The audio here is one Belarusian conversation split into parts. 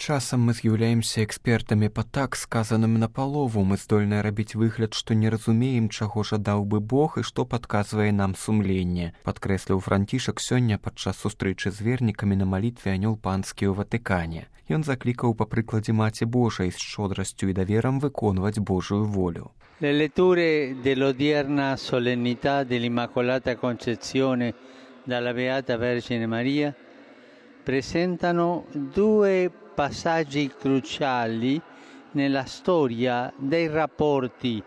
Часам мы з'яўляемся экспертамі па так сказаным напалову, мы здольныя рабіць выгляд, што не разумеем, чаго жадаў бы Бог і што падказвае нам сумленне, падкрэсліў Францішак сёння падчас сустрэчы з вернікамі на малітве Анёл Панскі ў Ватыкане. Ён заклікаў па прыкладзе Маці Божай з шчодрасцю і даверам выконваць Божую волю. Le letture dell'odierna solennità dell'Immacolata Concezione dalla Beata Vergine Maria presentano due passaggi cruciali nella storia dei rapporti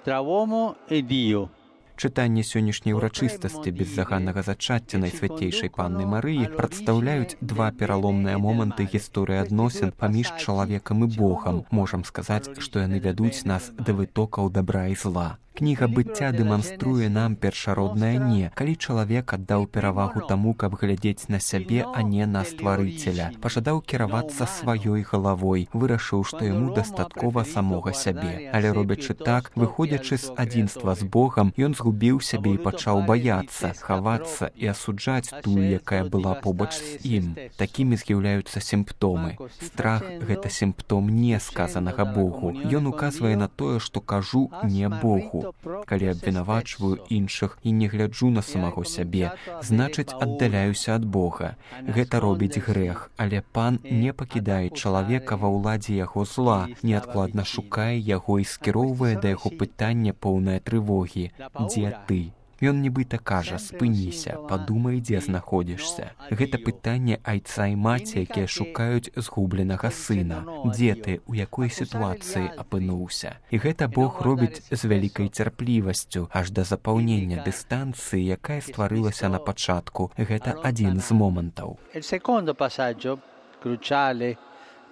tra uomo e Dio. Чытанне сённяшняй урачыстасці беззаганнага зачацця Найсвяцейшай Панны Марыі прадстаўляюць два пераломныя моманты гісторыі адносін паміж чалавекам і Богам. Можам сказаць, што яны вядуць нас да вытокаў дабра і зла. Кніга быцця дэманструе нам першароднае «не», калі чалавек аддаў перавагу таму, каб глядзець на сябе, а не на стварыцеля. Пажадаў кіравацца сваёй галавой, вырашыў, што яму дастаткова самога сябе. Але робячы так, выходзячы з адзінства з Богам, ён згубіў сябе і пачаў баяцца, хавацца і асуджаць тую, якая была побач з ім. Такімі з'яўляюцца сімптомы. Страх – гэта сімптом не сказанага Богу. Ён указвае на тое, што кажу не Богу. Калі абвінавачваю іншых і не гляджу на самого сябе, значыць, аддаляюся ад Бога. Гэта робіць грэх, але Пан не пакідае чалавека ва ўладзе яго зла, неадкладна шукае яго і скіроўвае да яго пытання поўнае трывогі. Дзе ты? Ён нібыта кажа, спыніся, падумай, дзе знаходзішся. Гэта пытанне айца і маці, якія шукаюць згубленага сына. Дзе ты, у якой сітуацыі апынуўся? І гэта Бог робіць з вялікай цярплівасцю, аж да запаўнення дыстанцыі, якая стварылася на пачатку. Гэта адзін з момантаў. Il secondo passaggio cruciale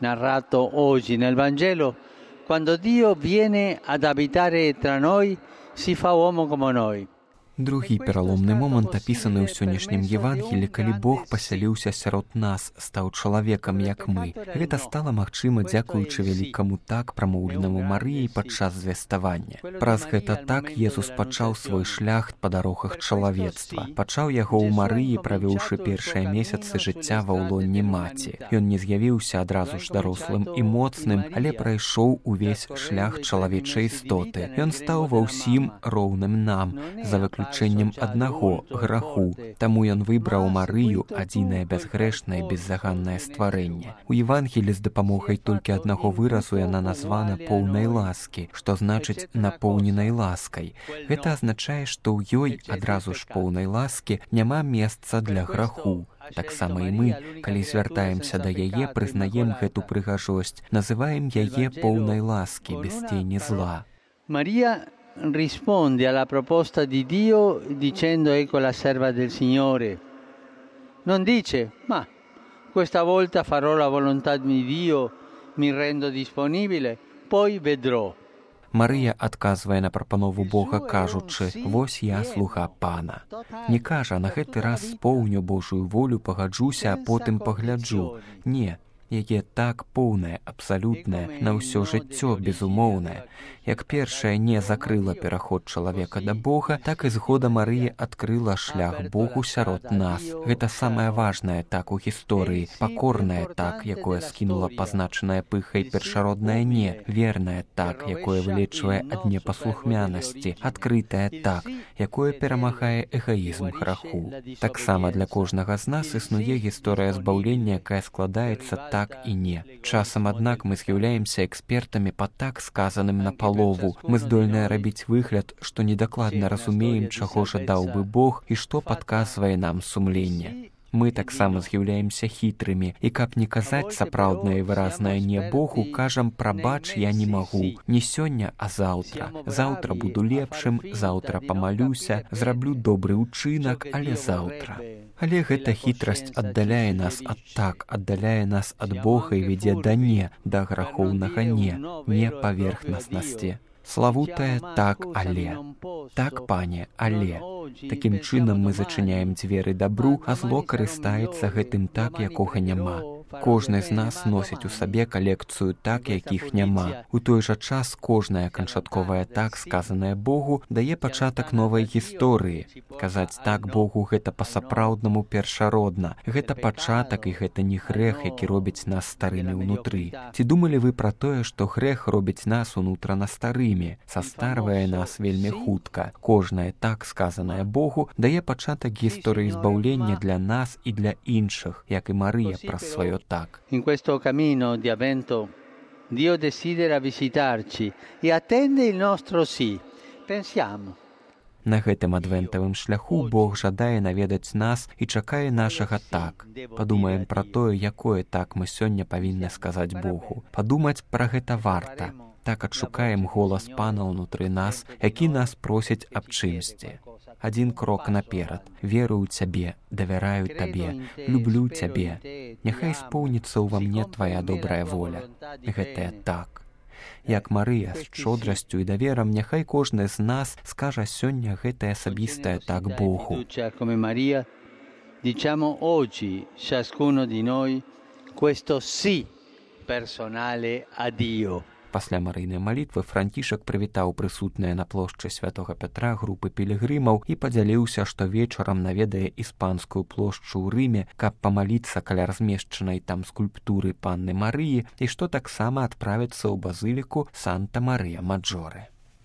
narrato oggi nel Vangelo, quando Dio viene ad abitare tra noi, si fa uomo come noi. Другі пераломны момант апісаны ў сённяшнім Евангелі, калі Бог пасяліўся сярод нас, стаў чалавекам, як мы. Гэта стала магчыма дзякуючы вялікаму так прамоўленаму Марыяй падчас звяставання. Праз гэта так Езус пачаў свой шлях па дарогах чалавецтва. Пачаў яго ў Марыі, правёўшы першыя месяцы жыцця ва ўлонні маці. Ён не з'явіўся адразу ж дарослым і моцным, але прайшоў увесь шлях чалавечай істоты. Ён стаў ва ўсім роўным нам, за выключэннем аднаго граху. Таму ён выбраў Марыю, адзінае бязгрэшнае беззаганнае стварэнне. У Евангелі з дапамогай толькі аднаго выразу яна названа поўнай ласкі, што значыць напоўненай ласкай. Гэта азначае, што ў ёй адразу ж поўнай ласкі няма месца для граху. Таксама і мы, калі звяртаемся да яе, прызнаем гэту прыгажосць, называем яе поўнай ласкі, без тені зла. Мария risponde alla proposta di Dio dicendo ecco la serva del Signore. Non dice, ma questa volta farò la volontà di Dio, mi rendo disponibile, poi vedrò. Марыя адказвае на прапанову Бога, кажучы, «Вось я, слуга Пана». Не кажа, на гэты раз споўню Божую волю, пагаджуся, а потым пагляджу. Не, яе так поўнае, абсалютнае, на ўсё жыццё безумоўнае. Як першае не закрыла пераход чалавека да Бога, так і згода Марыі адкрыла шлях Богу сярод нас. Гэта самае важнае так у гісторыі, пакорнае так, якое скінула пазначанае пыхай першароднае не, вернае так, якое вылечвае ад непаслухмянасці, адкрытае так, якое перамагае эгаізм граху. Таксама для кожнага з нас існуе гісторыя збаўлення, якая складаецца так і не. Часам, аднак, мы з'яўляемся экспертамі па так сказаным напалову. Мы здольныя рабіць выгляд, што недакладна разумеем, чаго жадаў бы Бог і што падказвае нам сумленне. Мы таксама з'яўляемся хітрымі, і каб не казаць сапраўднае і выразнае не Богу, кажам, прабач, я не магу. Не сёння, а заўтра. Заўтра буду лепшым, заўтра памалюся, зраблю добры ўчынак, але заўтра. Але гэта хітрасць аддаляе нас ад так, аддаляе нас ад Бога і вядзе да не, да грахоўнага не паверхнаснасці. Славутае так, але. Так, пане, але. Такім чынам мы зачыняем дзверы дабру, а зло карыстаецца гэтым так, якога няма. Кожны з нас носіць у сабе калекцыю так, якіх няма. У той жа час кожнае канчатковае так, сказанае Богу, дае пачатак новай гісторыі. Казаць так Богу гэта па-сапраўднаму першародна. Гэта пачатак і гэта не грэх, які робіць нас старымі ўнутры. Ці думалі вы пра тое, што грэх робіць нас унутрана старымі, састарвае нас вельмі хутка. Кожнае так, сказанае Богу, дае пачатак гісторыі збаўлення для нас і для іншых, як і Марыя праз сваё так. In questo cammino di avvento Dio desidera visitarci e attende il nostro sì. Pensiamo. На гэтым адвентавым шляху Бог жадае наведаць нас і чакае нашага так. Падумаем пра тое, якое так мы сёння павінны сказаць Богу. Падумаць пра гэта варта. Так адшукаем голас Пана ўнутры нас, які нас просіць аб чымсьці. Адзін крок наперад. Верую ў Цябе, давяраю Табе, люблю Цябе. Няхай споўніцца ўва мне Твая добрая воля. Гэтае так. Як Марыя з шчодрасцю і даверам, няхай кожны з нас скажа сёння гэтае асабістае так Богу. Come Maria, diciamo oggi ciascuno di noi questo sì personale a Dio. Пасля марыйнай малітвы Францішак прывітаў прысутныя на плошчы святога Пятра групы пілігрымаў і падзяліўся, што вечарам наведае іспанскую плошчу ў Рыме, каб памаліцца каля размешчанай там скульптуры Панны Марыі і што таксама адправіцца ў базыліку Санта-Марыя-Маджоре.